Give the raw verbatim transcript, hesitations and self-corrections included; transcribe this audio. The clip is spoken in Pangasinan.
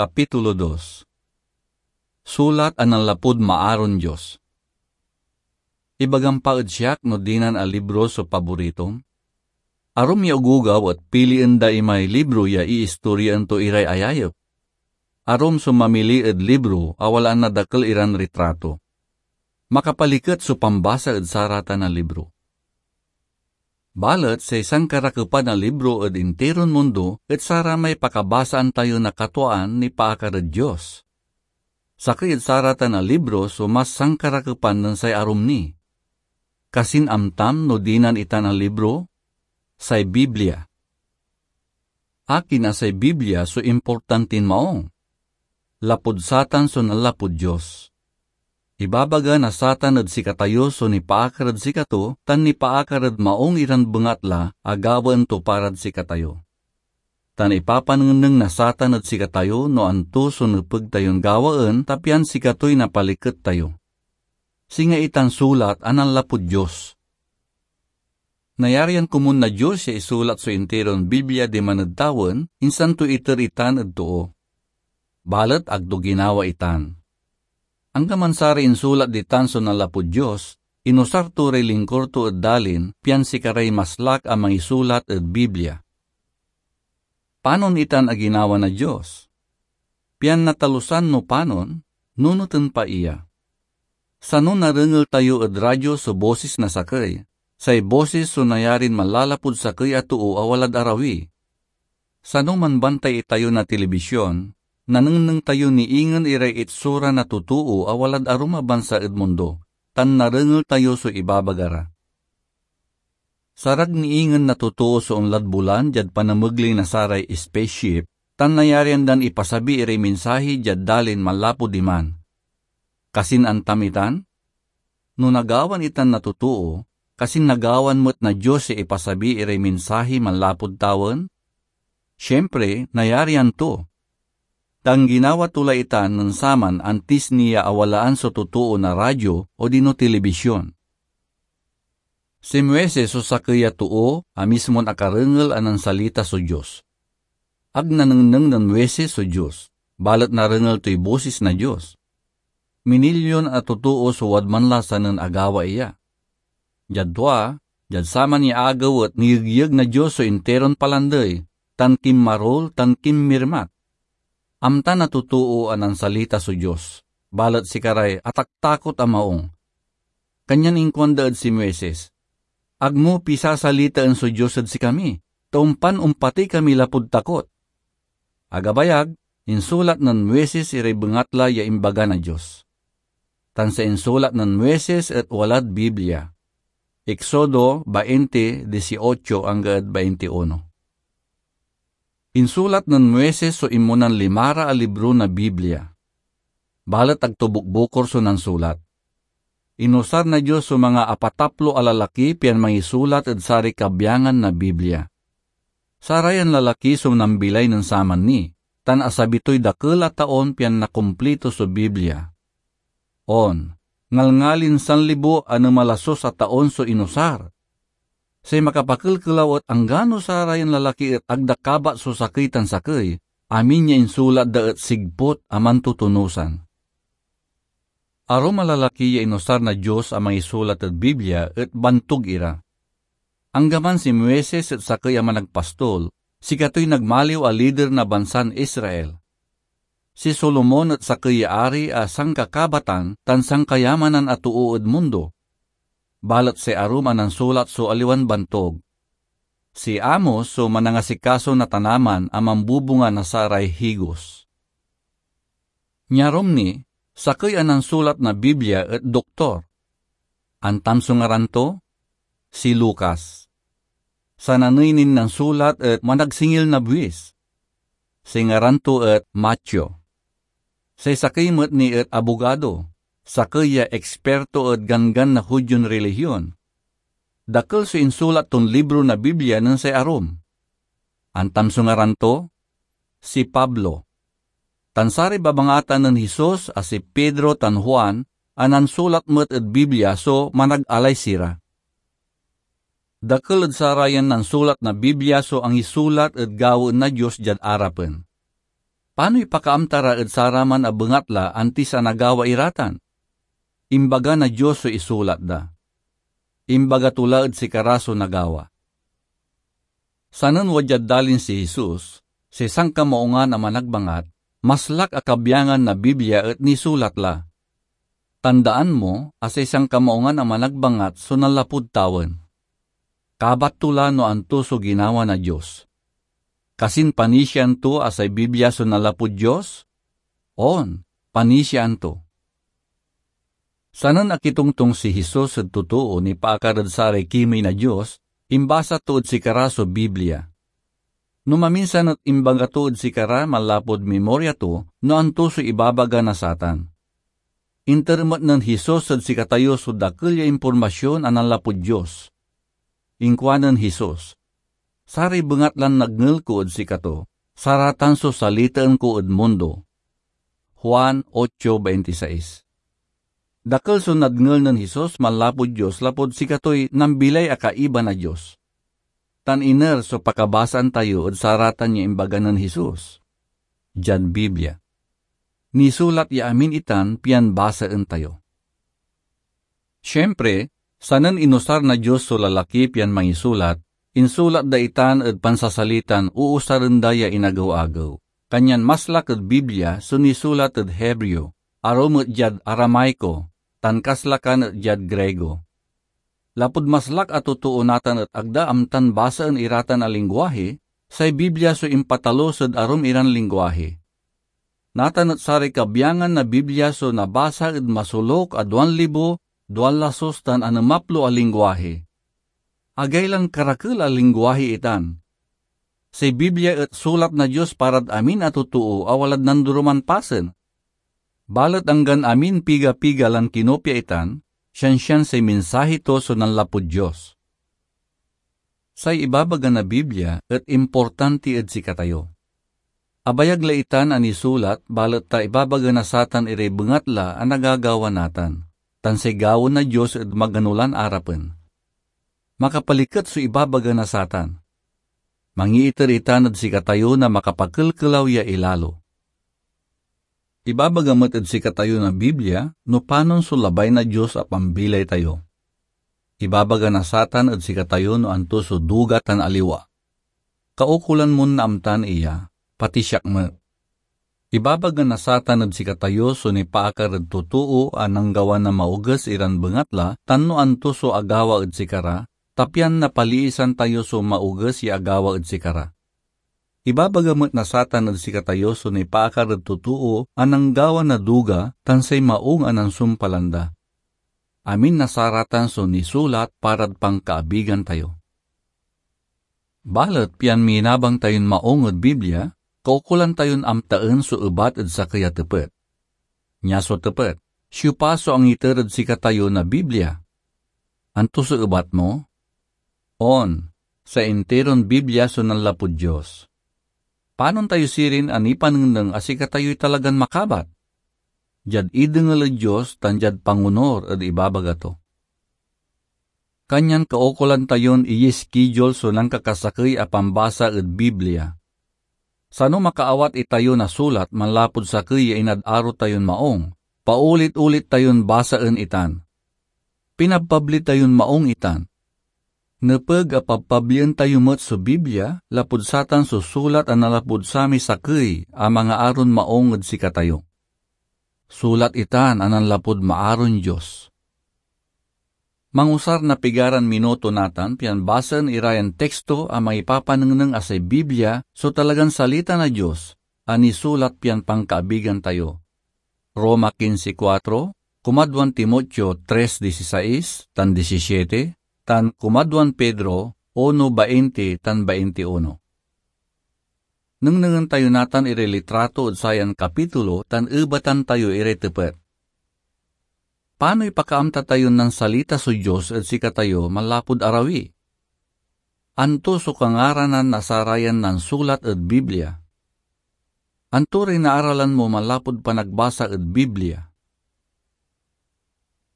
Kapitulo dos. Sulat a nanlapud maaron Dios. Ibagam pa ed siak no dinan a libro so paboritom? Arum ya ogogaw et pilien da imay libro ya iistoryaen to iray ayayep. Arum so mamili ed libro a walaan na dakel iran ritrato. Makapaliket so pambasa ed saratan a libro. Balet say sankarakepan a libro ed intiron mundo et saramay pakabasaan tayo na katwaan nipaakar ed Dios. Sakey ed saratan a libro so mas sankarakepan nen say arum ni. Kasin amtam no dinan itan a libro? Say Biblia. Akin a say Biblia so importantin maong? Lapud satan so nanlapud Dios. Ibabaga na satan ed sikatayo so nipaakar ed sikato tan nipaakar ed maong iran bengatla a gawaen to parad sikatayo. Tan ipapanengneng na satan ed sikatayo no anto so nepeg tayon gawaen ta pian sikatoy napaliket tayo. Singa itan sulat a nanlapud Dios. Nayarian komun na Dios ya isulat so intiron Biblia diman ed tawen, insan to iter itan ed too. Balet ag to ginawa itan. Anggaman saray insulat ditan so nanlapud Dios, inusar to ray lingkor to ed dalin pian sikaray maslak a mangisulat ed Biblia. Panon itan a ginawa na Dios? Pian natalusan no panon, nunoten pa iya. Sano narengel tayo ed radyo so bosis na sakey, say bosis so nayarin manlalapud sakey a too a walad arawi. Sano manbantay itayo na tilibisyon, nanengneng tayo ni ingen iray itsura na totoo a walad arum a bansa ed mundo, tan narengel tayo so ibabaga ra. Sarag ni ingen na totoo so onlad bulan diad panamegley na saray spaceship, tan nayarian dan ipasabi iray mensahe diad dalin manlapud diman. Kasin antam itan? No nagawan itan na totoo, kasin nagawan met na Dios ya ipasabi iray mensahe manlapud tawen? Siempre, nayarian to. Tan ginawa to la itan nen saman antis ni ya awalaan so totoo na radyo odino tilibisyon. Si Moises so sakey a too a mismon akarengel a nansalita so Dios. Ag nanengneng nen Moises so Dios, balet narengel toy bosis na Dios. Minilyon a totoo so wadman la sanen agawa iya. Diad tua, diad saman ya agew et niyegyeg na Dios so intiron palandey, tan kinmarul, tan kinmirmat. Amta na totoo a nansalita so Dios, balet sikaray ataktakot a maong. Kanyan inkuanda ed si Moises, "Ag mo pisasalitaen so Dios ed sikami, ta ompan ompatey kami lapud takot." Agabayag, insulat nen Moises iray bengatla ya imbaga na Dios. Tan say insulat nen Moises et walad Biblia. Exodo bainte dieciocho angga ed baintiuno. Insulat nen Moises so inmonan limara a libro na Biblia. Balet ag to bukbukor so nansulat. Inusar na Dios so manga apataplo a lalaki pian mangisulat ed saray kabiangan na Biblia. Sarayan lalaki so nambilay nen saman ni, tan asabi toy dakel a taon pian nakumplito so Biblia. On, ngalngalin sanlibo a nemalasos a taon so inusar. Say makapakelkelaw et anggano sarayan lalaki et ag da kabat so sakey tan sakey, amin ya insulat da et sigput a mantutunosan. Arum a lalaki ya inusar na Dios a mangisulat ed Biblia et bantog ira. Anggaman si Moises et sakey a managpastol, sikatoy nagmaliw a lider na bansan Israel. Si Solomon et sakey ya ari a sankakabatan tan sankayamanan a too ed mundo. Balet say arum a nansulat so aliwan bantog. Si Amos so manangasikaso na tanaman a mambubunga na saray higos. Niarum ni, sakey a nansulat na Biblia et doktor. Antam so ngaran to? Si Lucas. Sananey nin nansulat et managsingil na buis. Say ngaran to et Mateo. Say sakey met ni et abogado, sakey ya eksperto ed ganggan na Judion relihion. Dakel so insulat ton libro na Biblia nen say arum. Antam so ngaran to? Si Pablo. Tan saray babangatan nen Jesus a si Pedro tan Juan a nansulat met ed Biblia so manag-alay sira. Dakel ed sarayan nansulat na Biblia so angisulat ed gawaen na Dios diad arapen. Panoy pakaamta ra ed saraman a bengatla antis a nagawa ira tan? Imbaga na Dios so isulat da. Imbaga to la ed sikara so nagawa. Sanen wadyad dalin si Jesus, say sankamaungan a managbangat, maslak a kabiangan na Biblia et nisulat la. Tandaan mo a say sankamaungan a managbangat so nanlapud tawen. Kabat to la no anto so ginawa na Dios. Kasin panisiaan to a say Biblia so nanlapud Dios? On, panisiaan to. Sanen akitongtong si Jesus ed totoo nipaakar ed saray kimey na Dios, imbasa to ed sikara so Biblia. No maminsan et imbaga to ed sikara manlapud mimoria to no anto so ibabaga na satan. Inter met nen Jesus ed sikatayo so dakel ya impormasyon a nanlapud Dios. Inkuanen Jesus, "Saray bengatlan nadngel ko ed sikato, saratan so salitaen ko ed mundo." Juan ocho veintiseis. Dakel so nadngel nen Jesus manlapud Dios lapud sikatoy nambilay a kaiba na Dios. Tan iner so pakabasaan tayo ed saratan ya imbaga nen Jesus diad Biblia. Nisulat ya amin itan pian basaen tayo. Siempre, sanen inusar na Dios so lalaki pian mangisulat, insulat da itan ed pansasalitan uusaren da ya inagew-agew. Kanyan maslak ed Biblia so nisulat ed Hebreo, arum et diad Aramaiko, tan kaslakan et diad Griego. Lapud maslak a totoo natan et ag da amtan basaen iratan a lingwahi, say Biblia so impatalus ed arum iran lingwahi. Natan et saray kabiangan na Biblia so nabasa ed masoluk a duan libo, duan lasus tan anemaplo a lingwahi. Agaylan karakel a lingwahi itan. Say Biblia et sulat na Dios parad amin a totoo a walad nandoroman pasen. Balet anggan amin piga-piga lan kinopia itan, siansian say mensahe to so nanlapud Dios. Say ibabaga na Biblia et importanti ed sikatayo. Abayag la itan a nisulat, balet ta ibabaga na satan iray bengatla a nagagawa natan, tan say gawaen na Dios ed magano lan arapen. Makapaliket so ibabaga na satan. Mangiiter itan ed sikatayo na makapakelkelaw ya ilalo. Ibabaga met ed sikatayo na Biblia no panon so labay na Dios a pambilay tayo. Ibabaga na satan ed sikatayo no anto so duga tan aliwa. Kaukolan mon naamtan iya, pati siak met. Ibabaga na satan ed sikatayo so nipaakar ed totoo a nanggawa na maoges iran bengatla tan no anto so agawa ed sikara, ta pian napaliisan tayo so maoges ya agawa ed sikara. Ibabaga met na satan ed sikatayo so nipaakar ed totoo a nanggawa na duga tan say maung a nansumpalan da. Amin na saratan so nisulat parad pankaabigan tayo. Balet pian minabang tayon maung ed Biblia, kaukolan tayon amtaen so ebat ed sakey a tepet. Nia so tepet, siopa so angiter ed sikatayo na Biblia? Anto so ebat mo? On, say intiron Biblia so nanlapud Dios. Panon tayo sirin a nipanengneng a sikatayoy talagan makabat? Diad idengel ed Dios tan diad pangonur ed ibabaga to. Kanyan kaukolan tayon iyiskidul so nankakasakey a pambasa ed Biblia. Sano makaawat itayo na sulat manlapud sakey ya inad-aro tayon maung, paulit-ulit tayon basaen itan. Pinabpabli tayon maung itan. Nepeg a pabpablien tayo met so Biblia lapud satan so sulat a nanlapud samay sakey a mangaaron maung ed sikatayo. Sulat itan a nanlapud maaron Dios. Mangusar na pigaran minuto natan pian basaen ira yan teksto a mangipapanengneng a say Biblia so talagan salita na Dios a nisulat pian pankaabigan tayo. Roma quince cuatro, kumadwan Timoteo tres dieciséis tan diecisiete, tan kumadwan Pedro uno veinte tan veintiuno. Nengnengen tayo natan iray litrato ed sayan kapitulo tan ebatan tayo iray tepet. Panoy pakaamta tayon nansalita so Dios ed sikatayo manlapud arawi? Anto so kangaranan na sarayan nansulat ed Biblia? Anto ray naaralan mo manlapud panagbasa ed Biblia?